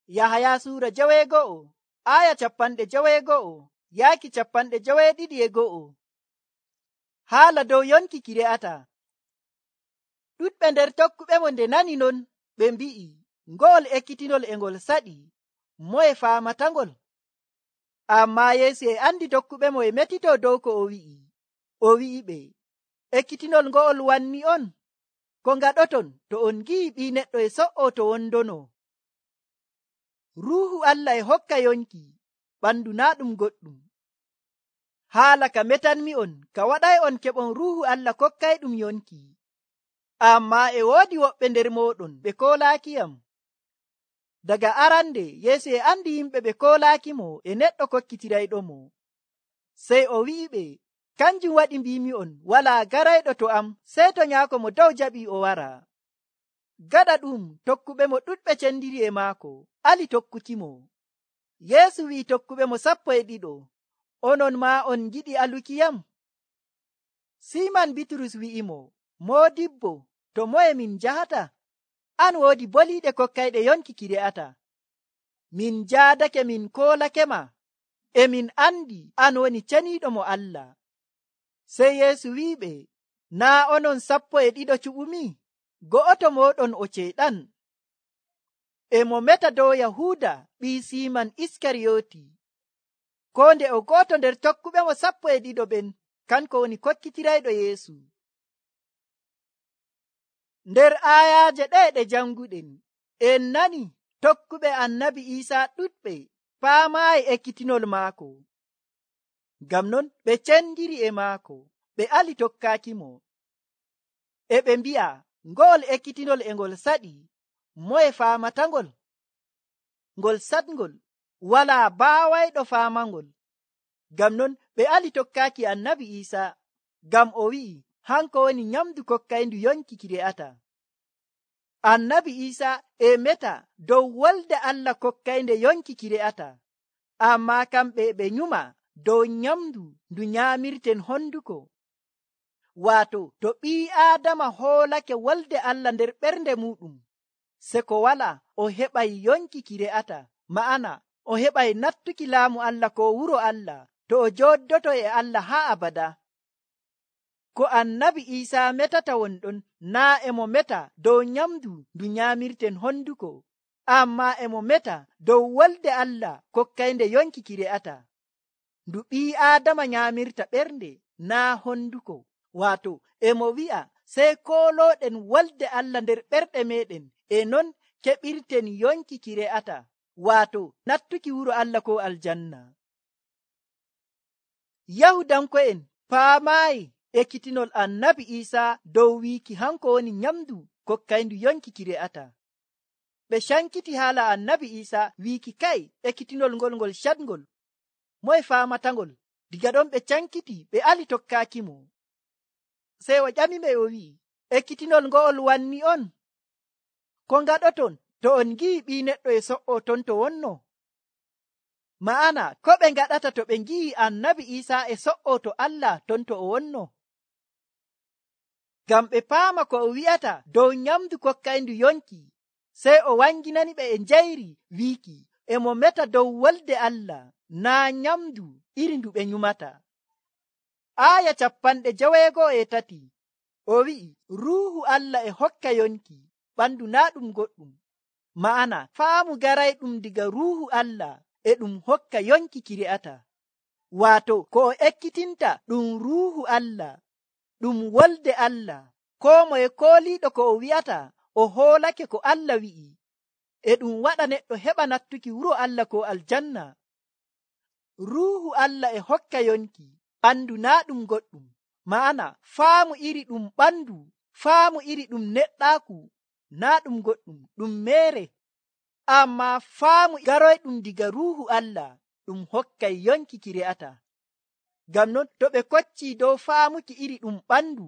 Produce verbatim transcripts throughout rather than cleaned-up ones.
Yahaya suura joweego'o aya capanɗe joweego'o yaaki capanɗe joweeɗiɗi e go'o. Haala dow yonki ki re'ata. Ɗuɗɓe nder tokkuɓe mo nde nani non ɓe mbi'i, ngo'ol ekkitinol e ngol saɗi, moye faamatangol? Ammaa Yeesu e andi tokkuɓe mo e metito dow ko o wi'i. O wi'iɓe, ekkitinol ngo'ol wanni on ko ngaɗoton to on ngi'i ɓii neɗɗo e so'o to wondono. Ruuhu Allah e hokka yonki, ɓandu naa ɗum goɗɗum. Haala ka metanmi'on ka waɗay on keɓon Ruuhu Allah kokkayɗum yonki. Ammaa e woodi woɓɓe nder mooɗon ɓe koolaakiyam. Daga arande Yeesu e andi yimɓe ɓe koolaakimo e neɗɗo kokkitirayɗomo. Sey o wi'iɓe, kanjum waɗi mbimi'on walaa garayɗo to am sey to Nyaako mo dow jaɓii o wara. Gaɗa ɗum tokkuɓe mo ɗuɗɓe cendiri e maako ali tokkukimo. Yeesu wi'i tokkuɓe mo sappo e ɗiɗo, onon maa on giɗi alukiyam? Siiman Bitrus wi'imo, Moodibbo, to moye min njahata? An woodi boliiɗe kokkayɗe yonki ki re'ata. Min jaadake min koolakema, e min andi an woni ceniiɗo mo Allah. Sey Yeesu wi'iɓe, naa onon sappo e ɗiɗo cuɓumi? Go'oto mooɗon o ceeɗan. E mo meta dow Yahuuda ɓii Siiman Iskariyooti. Ko nde o go'oto nder tokkuɓe mo sappo e ɗiɗo ɓen kanko woni kokkitirayɗo Yeesu. Nder aayaaje ɗe ɗe janguɗen en nani tokkuɓe annabi Iisaa ɗuɗɓe paamaayi ekkitinol maako. Ngam non ɓe cendiri e maako, ɓe ali tokkaakimo. E ɓe mbi'a, ngo'ol ekkitinol e ngol saɗi, moye faamatangol? Ngol saɗngol, walaa baawayɗo faamangol. Ngam non ɓe ali tokkaaki annabi Iisaa, ngam o wi'i hanko woni nyamdu kokkayndu yonki ki re'ata. Annabi Iisaa e meta dow wolde Allah kokkaynde yonki ki re'ata, ammaa kamɓe ɓe nyuma dow nyamdu ndu nyaamirten honduko. Waato to ɓii Aadama hoolake wolde Allah nder ɓernde muɗum, se ko wala o heɓay yonki ki re'ata, ma'ana o heɓay nattuki laamu Allah ko wuro Allah to o jooddoto e Allah haa abada. Ko annabi Iisaa metata wonɗon naa e mo meta dow nyamdu ndu nyaamirten honduko, ammaa e mo meta dow wolde Allah kokkaynde yonki ki re'ata, ndu ɓii Aadama nyaamirta ɓernde naa honduko. Waato e mo wi'a sey koolooɗen wolde Allah nder ɓerɗe meɗen, e non keɓirten yonki ki re'ata, waato nattuki wuro Allah ko aljanna. Yahudanko'en paamaayi ekkitinol annabi Iisaa dow wiiki hanko woni nyamdu kokkayndu yonki ki re'ata. Ɓe cankiti haala annabi Iisaa wiiki kay ekkitinol ngol ngol caɗngol, moye faamatangol? Diga ɗon ɓe cankiti ɓe ali tokkaakimo. Sey o ƴamiɓe o wi'i, ekkitinol ngo'ol wanni on ko ngaɗoton to on ngi'i ɓii neɗɗo e so'o ton to wonno? Ma'ana ko ɓe ngaɗata to ɓe ngi'i annabi Iisaa e so'o to Allah ton to o wonno? Ngam ɓe paama ko o wi'ata dow nyamdu kokkayndu yonki, sey o wanginani ɓe e njayri wiiki e mo meta dow wolde Allah naa nyamdu iri ndu ɓe nyumata. Aaya capanɗe joweego'o e tati o wi'i, Ruuhu Allah e hokka yonki, ɓandu naa ɗum goɗɗum. Ma'ana faamu garayɗum diga Ruuhu Allah e ɗum hokka yonki ki re'ata. Waato ko o ekkitinta ɗum Ruuhu Allah, ɗum wolde Allah. Koo moye kooliiɗo ko o wi'ata o hoolake ko Allah wi'i, e ɗum waɗa neɗɗo heɓa nattuki wuro Allah ko aljanna. Ruuhu Allah e hokka yonki, ɓandu naa ɗum goɗɗum. Ma'ana faamu iri ɗum ɓandu, faamu iri ɗum neɗɗaaku naa ɗum goɗɗum, ɗum meere. Ammaa faamu garoyɗum diga Ruuhu Allah ɗum hokkay yonki ki re'ata. Ngam non to ɓe koccii dow faamuki iri ɗum ɓandu,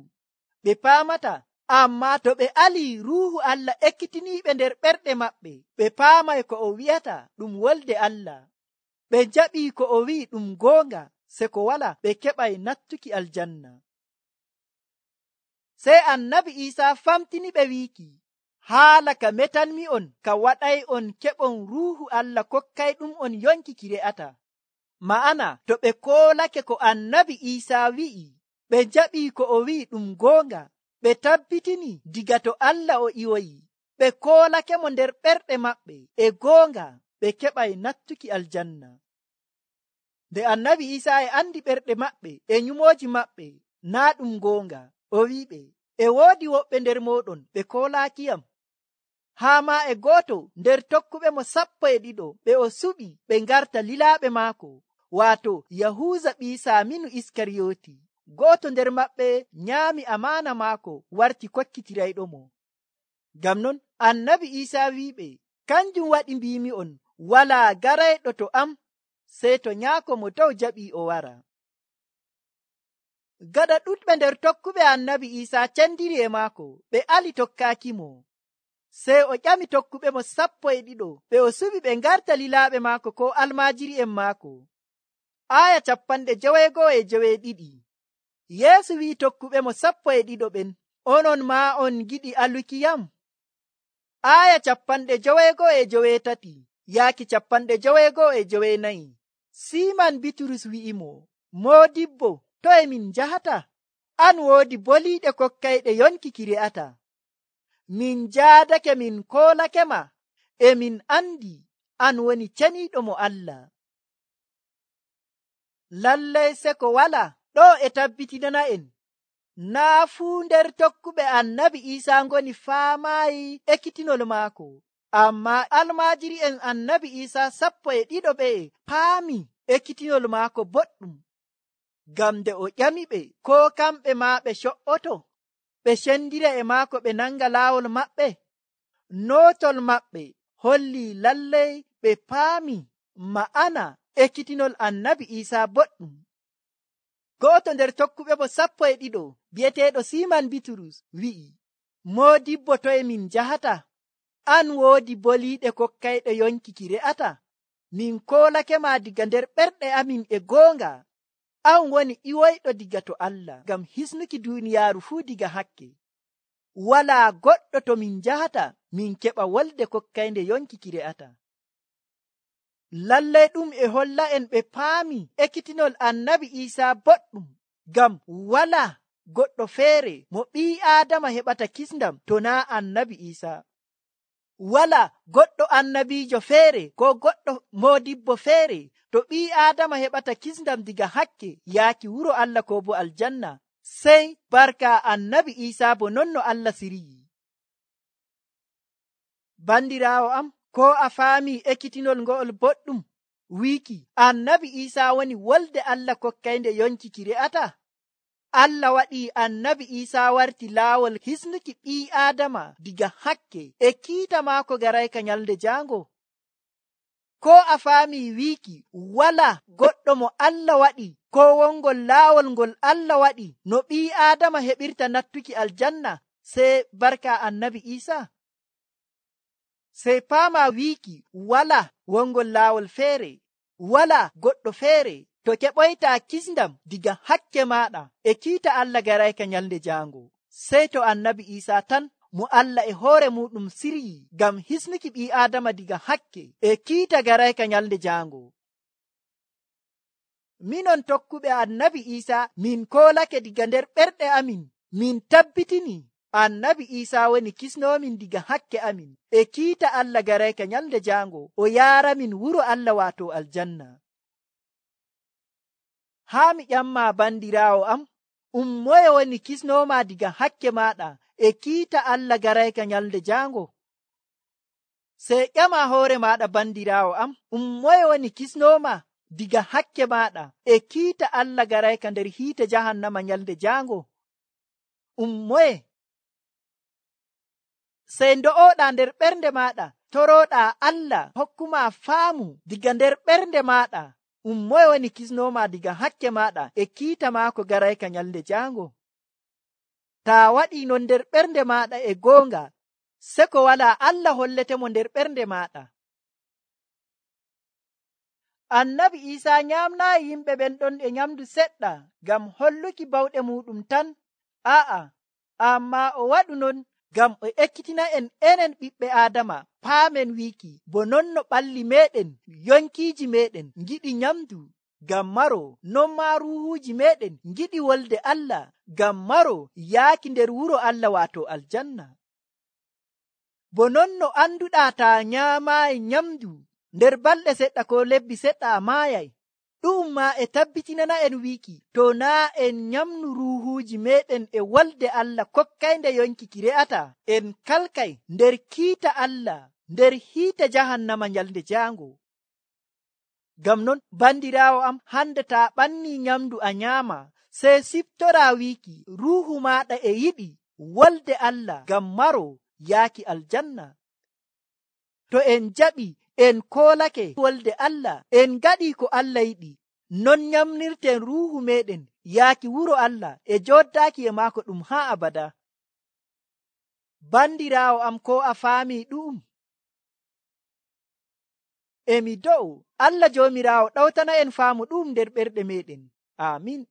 ɓe paamata. Ammaa to ɓe alii Ruuhu Allah ekkitiniiɓe nder ɓerɗe maɓɓe, ɓe paamay ko o wi'ata ɗum wolde Allah. Ɓe jaɓii ko o wi'i ɗum goonga, se ko wala ɓe keɓay nattuki aljanna. Sey annabi Iisaa famtini ɓe wiiki, haala ka metanmi'on ka waɗay on keɓon ruuhu Allah kokkayɗum on yonki ki re'ata. Ma'ana to ɓe koolake ko annabi Iisaa wi'i, ɓe jaɓii ko o wi'i ɗum goonga, ɓe tabbitini diga to Allah o iwoyi, ɓe koolake mo nder ɓerɗe maɓɓe e goonga, ɓe keɓay nattuki aljanna. Nde annabi Iisaa e andi ɓerɗe maɓɓe e nyumooji maɓɓe naa ɗum goonga, o wi'iɓe, e woodi woɓɓe nder mooɗon ɓe koolaakiyam. Haa maa e gooto nder tokkuɓe mo sappo e ɗiɗo ɓe o suɓi ɓe ngarta lilaaɓe maako, waato Yahuuza ɓii Saaminu Iskariyooti. Gooto nder maɓɓe nyaami amaana maako warti kokkitirayɗomo. Ngam non annabi Iisaa wi'iɓe, kanjum waɗi mbiimi'on walaa garayɗo to am sey to nyaako mo dow jaɓii o wara. Gaɗa ɗuɗɓe nder tokkuɓe annabi Iisaa cendiri e maako, ɓe ali tokkaakimo. Sey o ƴami tokkuɓe mo sappo e ɗiɗo ɓe o suɓi ɓe ngarta lilaaɓe maako ko almaajiri'en maako. Aya capanɗe joweego'o e joweeɗiɗi. Yeesu wi'i tokkuɓe mo sappo e ɗiɗo ɓen, onon maa on giɗi alukiyam? Aya capanɗe joweego'o e joweetati yaaki capanɗe joweego'o e joweenayi. Siiman Bitrus wi'imo, Moodibbo, to e min njahata? An woodi boliiɗe kokkayɗe yonki ki re'ata. Min jaadake min koolake ma, e min andi an woni ceniiɗo mo Allah. Lallay seko wala ɗo e tabbitinana en, naa fuu nder tokkuɓe annabi Iisaa ngoni faamaayi ekkitinol maako, ammaa almaajiri'en annabi Iisaa sappo e ɗiɗo ɓe paami ekkitinol maako boɗɗum. Ngam nde o ƴamiɓe koo kamɓe maa ɓe co'oto ɓe cendira e maako ɓe nanga laawol maɓɓe, nootol maɓɓe holli lallay ɓe paami ma'ana ekkitinol annabi Iisaa boɗɗum. Go'oto nder tokkuɓe mo sappo e ɗiɗo bi'eteeɗo Siiman Bitrus wi'i, Moodibbo, to e min njahata? An woodi boliiɗe kokkayɗe yonki ki re'ata. Min koolake ma diga nder ɓerɗe amin e goonga. An woni iwoyɗo diga to Allah ngam hisnuki duuniyaaru fuu diga hakke. Walaa goɗɗo to min njahata min keɓa wolde kokkaynde yonki ki re'ata. Lallay ɗum e holla en ɓe paami ekkitinol annabi Iisaa boɗɗum, ngam walaa goɗɗo feere mo ɓii Aadama heɓata kisndam to naa annabi Iisaa. Walaa goɗɗo annabiijo feere ko goɗɗo moodibbo feere to ɓii Aadama heɓata kisndam diga hakke yaaki wuro Allah ko bo aljanna, sey barka annabi Iisaa bo non no Allah siriyi. Bandiraawo am, ko a faami ekkitinol ngo'ol boɗɗum wiiki annabi Iisaa woni wolde Allah kokkaynde yonki ki re'ata? Allah waɗii annabi Iisaa warti laawol hisnuki ɓii Aadama diga hakke e kiita maako garayka nyalde jaango. Ko a faami wiiki wala goɗɗo mo Allah waɗi ko wongol laawol ngol Allah waɗi no ɓii Aadama heɓirta nattuki aljanna sey barka annabi Iisaa? Sey paama wiiki wala wongol laawol feere, wala goɗɗo feere to keɓoytaa kisndam diga hakke maaɗa e kiita Allah garayka nyalde jaango, sey to annabi Iisaa tan mo Allah e hoore muɗum siryi ngam hisnuki ɓii Aadama diga hakke e kiita garayka nyalde jaango. Minon tokkuɓe annabi Iisaa min koolake diga nder ɓerɗe amin, min tabbitini annabi Iisaa woni kisnomin diga hakke amin e kiita Allah garayka nyalde jaango o yaaramin wuro Allah waato aljanna. Haa mi ƴamma bandiraawo am, um moye woni kisnoma diga hakke maɗa e kiita Allah garayka nyalde jaango? Sey ƴama hoore maɗa bandiraawo am, um moye woni kisnoma diga hakke maɗa e kiita Allah garayka nder hiite jahannama nyalde jaango? Um moye? Sey ndo'oɗa nder ɓernde maɗa toroɗa Allah hokkuma faamu diga nder ɓernde maɗa, um moye woni kisnoma diga hakke maɗa e kiita maako garayka nyalde jaango? Ta waɗi non nder ɓernde maɗa e goonga, seko wala Allah holletemo nder ɓernde maɗa. Annabi Iisaa nyamnayi yimɓe ɓen ɗon e nyamdu seɗɗa ngam holluki bawɗe muɗum tan, a'a, amma o waɗu non ngam o ekkitina en enen ɓiɓɓe Aadama paamen wiiki bo non no ɓalli meɗen yonkiiji meɗen ngiɗi nyamdu ngam maro, non maa ruuhuuji meɗen ngiɗi wolde Allah ngam maro yaaki nder wuro Allah waato aljanna. Bo non no anduɗaa taa nyaamaayi nyamdu nder balɗe seɗɗa ko lebbi seɗɗa a maayay, ɗu'um maa e tabbitinana en wiiki to naa en nyamnu ruuhuuji meɗen e wolde Allah kokkaynde yonki ki re'ata, en kalkay nder kiita Allah nder hiite jahannama nyalnde jaango. Ngam non bandiraawo am, hande taa ɓannii nyamdu a nyaama, sey siftoraa wiiki ruuhu maaɗa e yiɗi wolde Allah ngam maro yaaki aljanna. To en jaɓi en koolake wolde Allah, en ngaɗii ko Allah yiɗi, non nyamnirten ruuhu meɗen yaaki wuro Allah e jooɗdaaki e maako ɗum haa abada. Bandiraawo am, ko a faamii ɗu'um? E mi do'u Allah Joomiraawo ɗawtana en faamu ɗu'um nder ɓerɗe meɗen. Aamin.